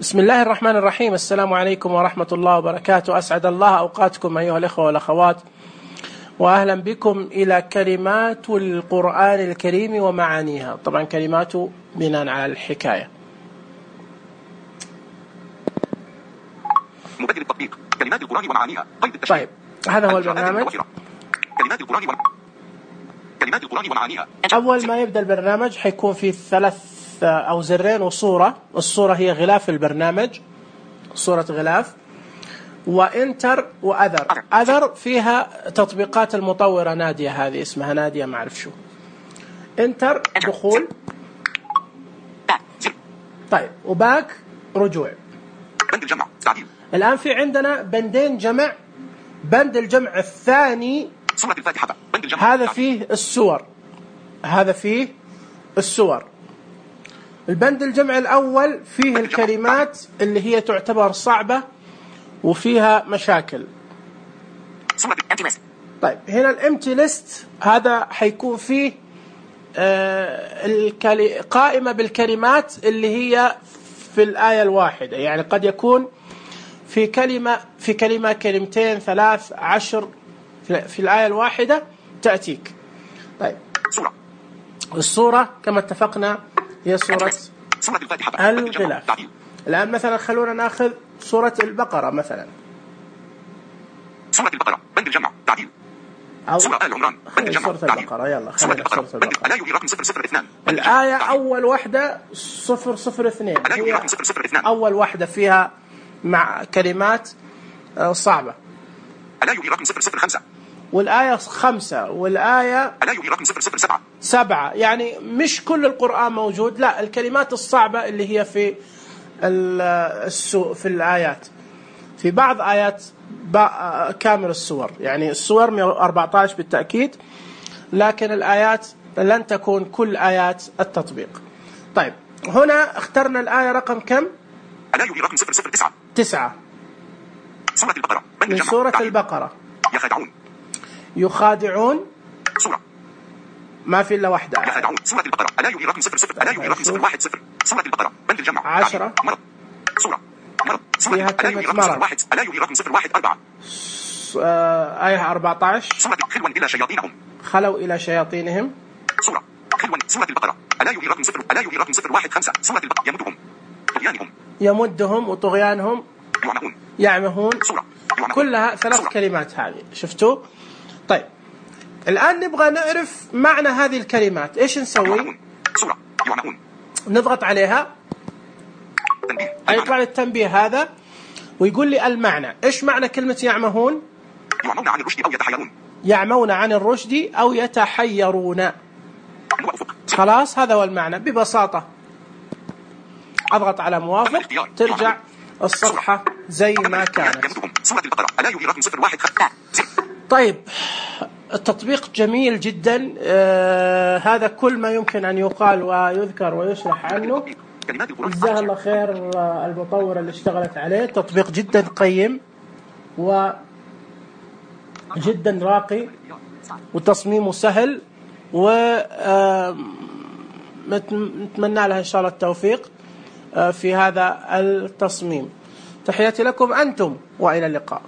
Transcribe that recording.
بسم الله الرحمن الرحيم. السلام عليكم ورحمة الله وبركاته. أسعد الله أوقاتكم أيها الإخوة والأخوات، وأهلا بكم إلى كلمات القرآن الكريم ومعانيها. طبعا كلماته بناء على الحكاية. مبدل التطبيق كلمات القرآن ومعانيها. طيب هذا هو البرنامج. كلمات القرآن ومعانيها. أول ما يبدأ البرنامج حيكون في 3 أو زرين وصورة. الصورة هي غلاف البرنامج، صورة غلاف، وإنتر وأذر. أذر فيها تطبيقات المطورة نادية، هذه اسمها نادية ما أعرف شو. إنتر دخول. طيب وباك رجوع. بند الجمع تعديل. الآن في عندنا بندين جمع. بند الجمع الثاني سورة الفاتحة. بند الجمع هذا فيه السور، هذا فيه السور. البند الجمع الأول فيه الكلمات اللي هي تعتبر صعبة وفيها مشاكل. طيب هنا الامتي ليست، هذا حيكون فيه قائمة بالكلمات اللي هي في الآية الواحدة، يعني قد يكون في كلمة كلمتين 3 10 في الآية الواحدة تأتيك. طيب الصورة كما اتفقنا هي سورة الغلاف. الآن مثلا خلونا ناخذ سورة البقرة مثلا. سورة البقرة بند الجمع تعديل. سورة آل عمران بند الجمع سورة البقرة. يلا خلينا سورة البقرة. الآية رقم 002. الآية أول واحدة 002 هي أول واحدة فيها مع كلمات صعبة. الآية رقم 005. والآية 5 والآية الآية رقم 007. يعني مش كل القرآن موجود، لا، الكلمات الصعبة اللي هي في في الآيات. في بعض آيات كامل السور، يعني السور 114 بالتأكيد، لكن الآيات لن تكون كل آيات التطبيق. طيب هنا اخترنا الآية رقم كم؟ الآية رقم 009. 9 سورة البقرة من سورة البقرة. يخادعون سورة ما في إلا واحدة. يخادعون سورة البقرة. الآية رقم 00. الآية رقم 010. سورة البقرة بند الجمع 10. مرض. سورة مرض. فيها كلمة مرض. الآية رقم 014. آية 14. سورة خلوا إلى شياطينهم. خلوا إلى شياطينهم. سورة خلوا. سورة البقرة. الآية رقم 0. الآية رقم 015. سورة البقرة يمدهم طغيانهم. يمدهم وطغيانهم. يعمهون. سورة كلها 3 كلمات هذه. شفتوا؟ طيب الآن نبغى نعرف معنى هذه الكلمات. إيش نسوي؟ سورة يعمهون. نضغط عليها يطلع لي التنبيه هذا ويقول لي المعنى. إيش معنى كلمة يعمهون؟ يعمون عن الرشد أو يتحيرون. يعمون عن الرشد أو يتحيرون. خلاص هذا هو المعنى ببساطة. أضغط على موافق ترجع الصفحة زي ما كانت. طيب التطبيق جميل جدا. هذا كل ما يمكن أن يقال ويذكر ويشرح عنه. جزاه الله خير المطورة اللي اشتغلت عليه. تطبيق جدا قيم وجدا راقي وتصميمه سهل، ونتمنى لها إن شاء الله التوفيق في هذا التصميم. تحياتي لكم أنتم وإلى اللقاء.